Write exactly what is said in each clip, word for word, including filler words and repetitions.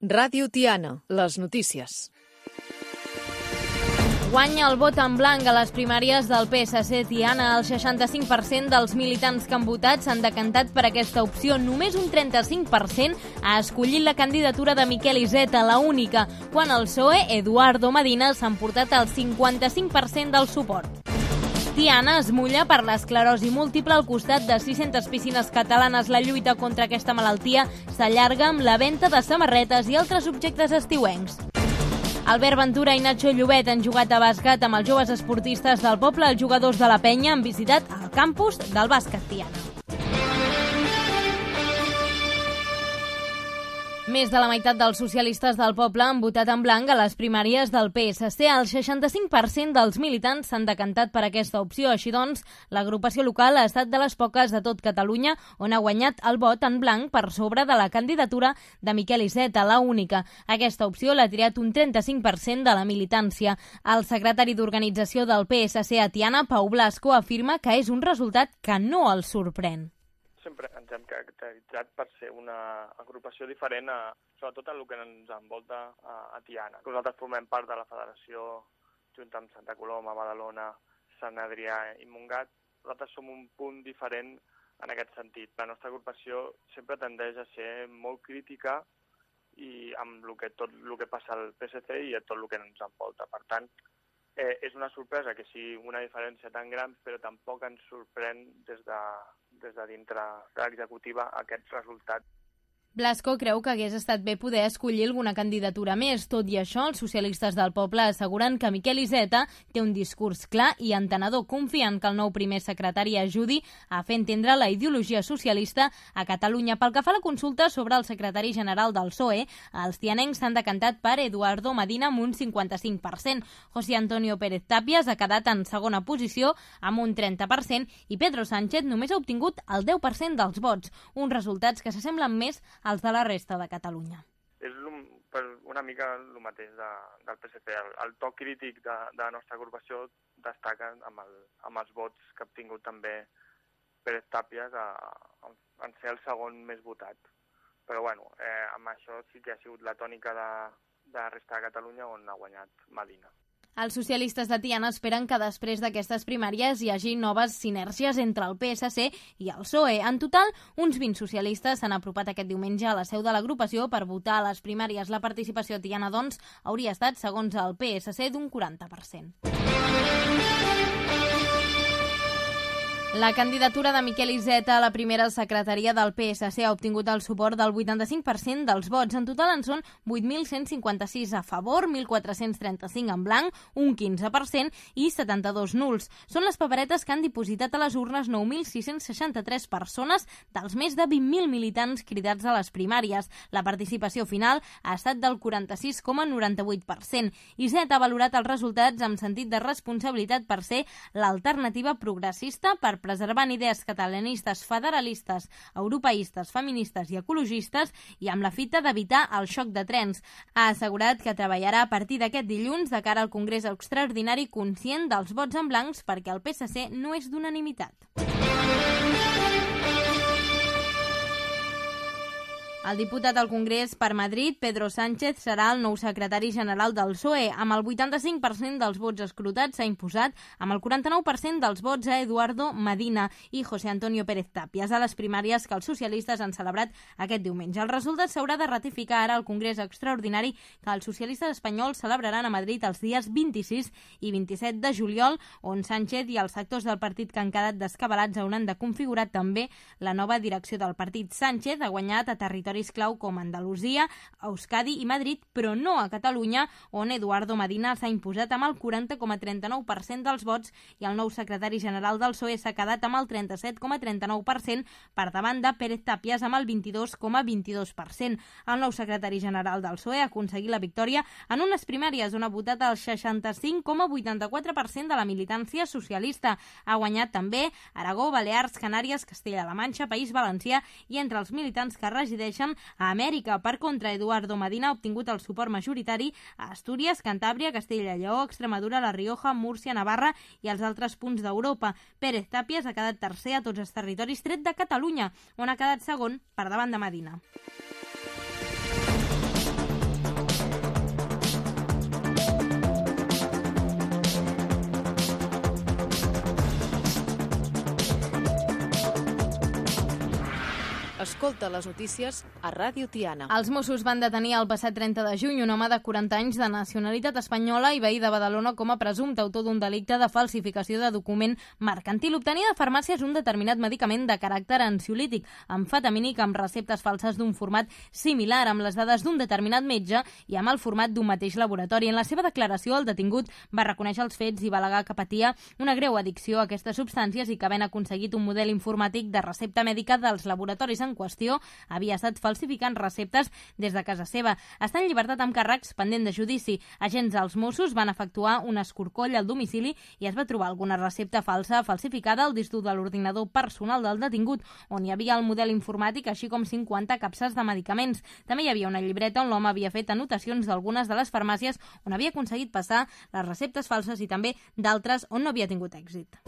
Ràdio Tiana, les notícies. Guanya el vot en blanc a les primàries del P S C Tiana. El seixanta-cinc per cent dels militants que han votat s'han decantat per aquesta opció. Només un trenta-cinc per cent ha escollit la candidatura de Miquel Iceta, la única, quan el P S O E, Eduardo Medina, s'ha emportat el cinquanta-cinc per cent del suport. Tiana es mulla per l'esclerosi múltiple al costat de sis-centes piscines catalanes. La lluita contra aquesta malaltia s'allarga amb la venda de samarretes i altres objectes estiuencs. Albert Ventura i Nacho Llobet han jugat a bàsquet amb els joves esportistes del poble. Els jugadors de la Penya han visitat el campus del bàsquet Tiana. Més de la meitat dels socialistes del poble han votat en blanc a les primàries del P S C. El seixanta-cinc per cent dels militants s'han decantat per aquesta opció. Així doncs, l'agrupació local ha estat de les poques de tot Catalunya on ha guanyat el vot en blanc per sobre de la candidatura de Miquel Iceta, la única. Aquesta opció l'ha triat un trenta-cinc per cent de la militància. El secretari d'organització del P S C a Tiana, Pau Blasco, afirma que és un resultat que no el sorprèn. Sempre ens hem caracteritzat per ser una agrupació diferent, a, sobretot en el que ens envolta a, a Tiana. Nosaltres formem part de la federació, junt amb Santa Coloma, Badalona, Sant Adrià i Montgat. Nosaltres som un punt diferent en aquest sentit. La nostra agrupació sempre tendeix a ser molt crítica i amb el que, tot el que passa al P S C i a tot el que ens envolta. Per tant, eh, és una sorpresa que sigui una diferència tan gran, però tampoc ens sorprèn des de des de dintre de l'executiva aquest resultat. Blasco creu que hagués estat bé poder escollir alguna candidatura més. Tot i això, els socialistes del poble asseguren que Miquel Iceta té un discurs clar i entenedor, confiant que el nou primer secretari ajudi a fer entendre la ideologia socialista a Catalunya. Pel que fa a la consulta sobre el secretari general del P S O E, els tianencs s'han decantat per Eduardo Medina amb un cinquanta-cinc per cent. José Antonio Pérez Tapias ha quedat en segona posició amb un trenta per cent i Pedro Sánchez només ha obtingut el deu per cent dels vots, uns resultats que s'assemblen més als de la resta de Catalunya. És una mica el mateix de, del P S C. El, el to crític de, de la nostra agrupació destaca amb, el, amb els vots que ha obtingut també Pérez Tapias a, a, en ser el segon més votat. Però bueno, eh, amb això sí que ha sigut la tònica de, de la resta de Catalunya on ha guanyat Medina. Els socialistes de Tiana esperen que després d'aquestes primàries hi hagi noves sinèrgies entre el P S C i el P S O E. En total, uns vint socialistes s'han apropat aquest diumenge a la seu de l'agrupació per votar a les primàries. La participació a Tiana, doncs, hauria estat, segons el P S C, d'un quaranta per cent. La candidatura de Miquel Iceta a la primera secretaria del P S C ha obtingut el suport del vuitanta-cinc per cent dels vots. En total en són vuit mil cent cinquanta-sis a favor, mil quatre-cents trenta-cinc en blanc, un quinze per cent i setanta-dos nuls. Són les paperetes que han dipositat a les urnes nou mil sis-cents seixanta-tres persones dels més de vint mil militants cridats a les primàries. La participació final ha estat del quaranta-sis coma noranta-vuit per cent. Iceta ha valorat els resultats amb sentit de responsabilitat per ser l'alternativa progressista per preservant idees catalanistes, federalistes, europeistes, feministes i ecologistes i amb la fita d'evitar el xoc de trens. Ha assegurat que treballarà a partir d'aquest dilluns de cara al Congrés Extraordinari conscient dels vots en blancs perquè el P S C no és d'unanimitat. El diputat al Congrés per Madrid, Pedro Sánchez, serà el nou secretari general del P S O E. Amb el vuitanta-cinc per cent dels vots escrutats s'ha imposat amb el quaranta-nou per cent dels vots a Eduardo Medina i José Antonio Pérez Tapias a les primàries que els socialistes han celebrat aquest diumenge. El resultat s'haurà de ratificar ara al Congrés Extraordinari que els socialistes espanyols celebraran a Madrid els dies vint-i-sis i vint-i-set de juliol, on Sánchez i els sectors del partit que han quedat descabelats hauran de configurar també la nova direcció del partit. Sánchez ha guanyat a territori clau com Andalusia, Euskadi i Madrid, però no a Catalunya, on Eduardo Medina s'ha imposat amb el quaranta coma trenta-nou per cent dels vots i el nou secretari general del P S O E s'ha quedat amb el trenta-set coma trenta-nou per cent per davant de Pérez Tapias amb el vint-i-dos coma vint-i-dos per cent. El nou secretari general del P S O E ha aconseguit la victòria en unes primàries on ha votat el seixanta-cinc coma vuitanta-quatre per cent de la militància socialista. Ha guanyat també Aragó, Balears, Canàries, Castella-La Manxa, País Valencià i entre els militants que resideixen a Amèrica. Per contra, Eduardo Medina ha obtingut el suport majoritari a Astúries, Cantàbria, Castella i Lleó, Extremadura, La Rioja, Múrcia, Navarra i els altres punts d'Europa. Pérez Tapias ha quedat tercer a tots els territoris tret de Catalunya, on ha quedat segon per davant de Medina. Escolta les notícies a Ràdio Tiana. Els Mossos van detenir el passat trenta de juny un home de quaranta anys de nacionalitat espanyola i veí de Badalona com a presumpte autor d'un delicte de falsificació de document mercantil. Obtenia de farmàcies un determinat medicament de caràcter ansiolític, amfetamínic amb receptes falses d'un format similar, amb les dades d'un determinat metge i amb el format d'un mateix laboratori. En la seva declaració, el detingut va reconèixer els fets i va al·legar que patia una greu addicció a aquestes substàncies i que havent aconseguit un model informàtic de recepta mèdica dels laboratoris en qüestió, havia estat falsificant receptes des de casa seva. Està en llibertat amb càrrecs pendent de judici. Agents dels Mossos van efectuar un escorcoll al domicili i es va trobar alguna recepta falsa falsificada al disc dur de l'ordinador personal del detingut, on hi havia el model informàtic, així com cinquanta capses de medicaments. També hi havia una llibreta on l'home havia fet anotacions d'algunes de les farmàcies on havia aconseguit passar les receptes falses i també d'altres on no havia tingut èxit.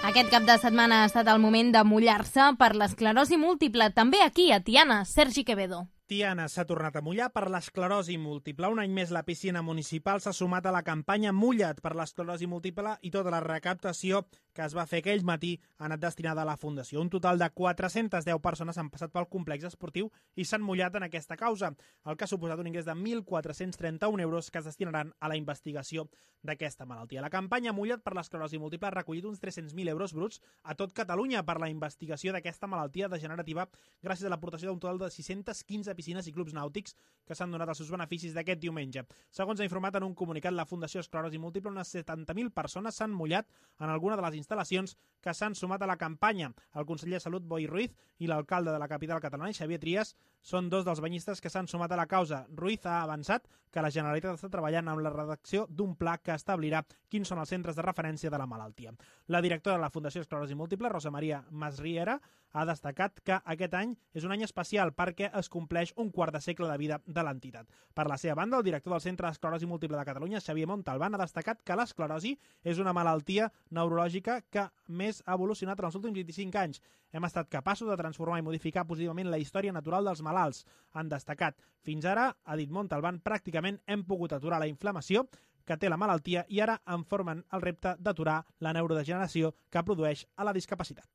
Aquest cap de setmana ha estat el moment de mullar-se per l'esclerosi múltiple. També aquí, a Tiana, Sergi Quevedo. Tiana s'ha tornat a mullar per l'esclerosi múltiple. Un any més la piscina municipal s'ha sumat a la campanya Mulla't per l'esclerosi múltiple i tota la recaptació que es va fer aquell matí ha anat destinada a la Fundació. Un total de quatre-centes deu persones han passat pel complex esportiu i s'han mullat en aquesta causa, el que ha suposat un ingrés de mil quatre-cents trenta-un euros que es destinaran a la investigació d'aquesta malaltia. La campanya Mulla't per l'esclerosi múltiple ha recollit uns tres-cents mil euros bruts a tot Catalunya per la investigació d'aquesta malaltia degenerativa gràcies a l'aportació d'un total de sis-centes quinze piscines i clubs nàutics que s'han donat els seus beneficis d'aquest diumenge. Segons ha informat en un comunicat la Fundació Esclerosi Múltiple, unes setanta mil persones s'han mullat en alguna de les instal·lacions que s'han sumat a la campanya. El conseller de Salut, Boi Ruiz, i l'alcalde de la capital catalana, Xavier Trias, són dos dels banyistes que s'han sumat a la causa. Ruiz ha avançat que la Generalitat està treballant amb la redacció d'un pla que establirà quins són els centres de referència de la malaltia. La directora de la Fundació Esclerosi Múltiple, Rosa Maria Masriera, ha destacat que aquest any és un any especial perquè es compleix un quart de segle de vida de l'entitat. Per la seva banda, el director del Centre d'Esclerosi Múltiple de Catalunya, Xavier Montalbán, ha destacat que l'esclerosi és una malaltia neurològica que més ha evolucionat en els últims vint-i-cinc anys. Hem estat capaços de transformar i modificar positivament la història natural dels malalts. Han destacat. Fins ara, ha dit Montalbán, pràcticament hem pogut aturar la inflamació que té la malaltia i ara en formen el repte d'aturar la neurodegeneració que produeix a la discapacitat.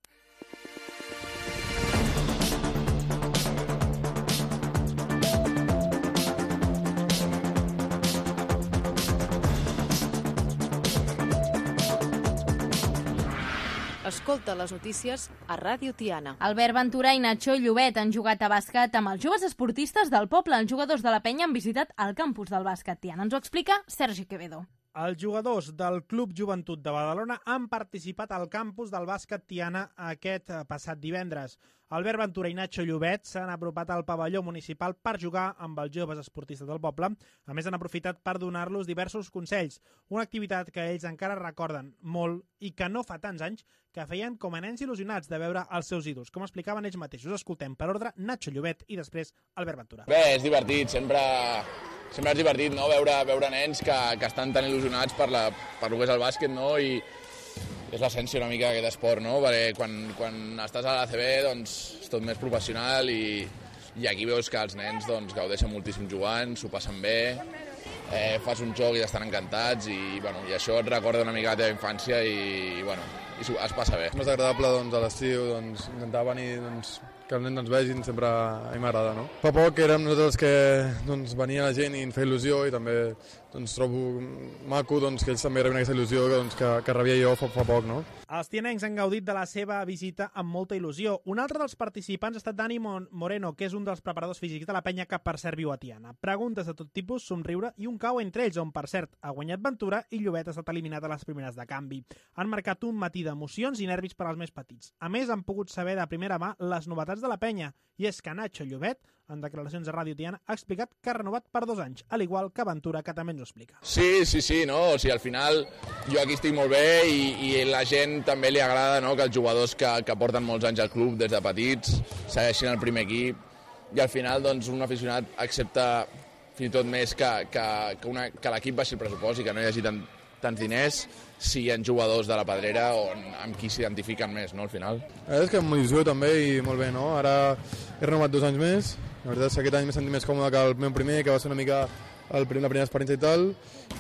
Escolta les notícies a Ràdio Tiana. Albert Ventura i Nacho Llobet han jugat a bàsquet amb els joves esportistes del poble. Els jugadors de la penya han visitat el campus del bàsquet Tiana. Ens ho explica Sergi Quevedo. Els jugadors del Club Joventut de Badalona han participat al campus del bàsquet Tiana aquest passat divendres. Albert Ventura i Nacho Llobet s'han apropat al pavelló municipal per jugar amb els joves esportistes del poble. A més, han aprofitat per donar-los diversos consells, una activitat que ells encara recorden molt i que no fa tants anys que feien com a nens il·lusionats de veure els seus ídols. Com explicaven ells mateixos, escoltem per ordre Nacho Llobet i després Albert Ventura. Bé, és divertit, sempre... Sempre és divertit, no?, veure, veure nens que, que estan tan il·lusionats per, la, per el que és el bàsquet, no?, i és l'essència una mica d'aquest esport, no?, perquè quan, quan estàs a l'A C B, doncs, és tot més professional i, i aquí veus que els nens doncs, gaudeixen moltíssim jugant, s'ho passen bé, eh, fas un joc i estan encantats i, bueno, i això et recorda una mica la teva infància i, i bueno, i es passa bé. És més agradable doncs, a l'estiu doncs, intentar venir doncs, que els nens ens vegin, sempre a mi m'agrada, no? Fa poc érem nosaltres que doncs, venia la gent i ens feia il·lusió i també doncs, trobo maco doncs, que ells també rebin aquesta il·lusió doncs, que, que rebia jo fa, fa poc, no? Els tianencs han gaudit de la seva visita amb molta il·lusió. Un altre dels participants ha estat Dani Moreno, que és un dels preparadors físics de la penya que per cert viu a Tiana. Preguntes de tot tipus, somriure i un cau entre ells, on per cert ha guanyat Ventura i Llobet ha estat eliminat a les primeres de canvi. Han marcat un matí d'emocions i nervis per als més petits. A més, han pogut saber de primera mà les novetats de la penya, i és que Nacho Llobet, en declaracions a Ràdio Tiana, ha explicat que ha renovat per dos anys, al igual que Ventura, que també ens ho explica. Sí, sí, sí, no? O sigui, al final jo aquí estic molt bé i, i la gent també li agrada, no?, que els jugadors que, que porten molts anys al club des de petits segueixin el primer equip i al final doncs, un aficionat accepta fins i tot més que, que, que, una, que l'equip baixi el pressupost i que no hi hagi tant, tants diners si hi ha jugadors de la Pedrera on, amb qui s'identifiquen més, no, al final. La veritat és que amb il·lusió també i molt bé, no? Ara he renovat dos anys més, la veritat és que aquest any m'he sentit més còmode que el meu primer, que va ser una mica el primer, la primera experiència i tal,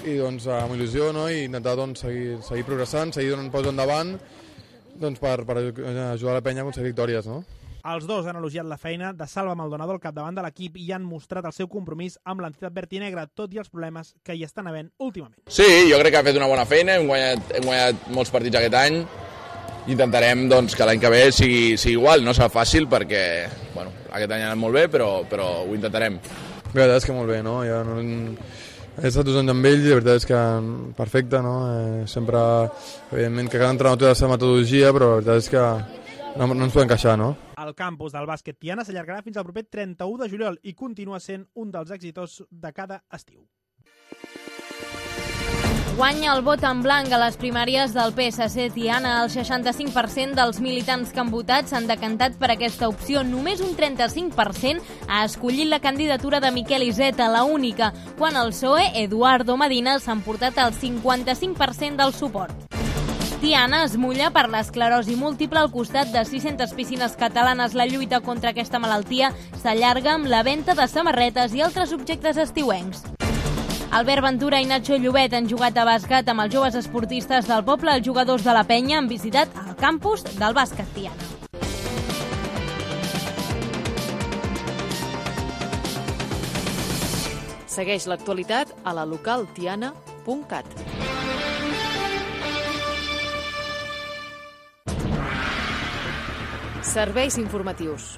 i doncs amb il·lusió, no? I intentar doncs, seguir, seguir progressant, seguir donant pas endavant doncs, per, per ajudar la penya a aconseguir victòries, no? Els dos han elogiat la feina de Salva Maldonado al capdavant de l'equip i han mostrat el seu compromís amb l'entitat vertinegra, tot i els problemes que hi estan havent últimament. Sí, jo crec que ha fet una bona feina, hem guanyat, hem guanyat molts partits aquest any, intentarem doncs, que l'any que ve sigui, sigui igual, no serà fàcil perquè bueno, aquest any ha anat molt bé, però, però ho intentarem. La veritat és que molt bé, no? Ja no he estat dos anys amb ell i la veritat és que perfecte, no? Eh, sempre, evidentment, que cada entrenador té la seva metodologia, però la veritat és que no, no ens podem queixar, no? El campus del bàsquet Tiana s'allargarà fins al proper trenta-u de juliol i continua sent un dels èxits de cada estiu. Guanya el vot en blanc a les primàries del P S C Tiana. El seixanta-cinc per cent dels militants que han votat s'han decantat per aquesta opció. Només un trenta-cinc per cent ha escollit la candidatura de Miquel Iceta, la única, quan el P S O E, Eduardo Medina, s'ha emportat el cinquanta-cinc per cent del suport. Tiana es mulla per l'esclerosi múltiple al costat de sis-centes piscines catalanes. La lluita contra aquesta malaltia s'allarga amb la venda de samarretes i altres objectes estiuencs. Albert Ventura i Nacho Llobet han jugat a bàsquet amb els joves esportistes del poble. Els jugadors de la penya han visitat el campus del bàsquet Tiana. Segueix l'actualitat a la local tiana punt cat. Serveis informatius.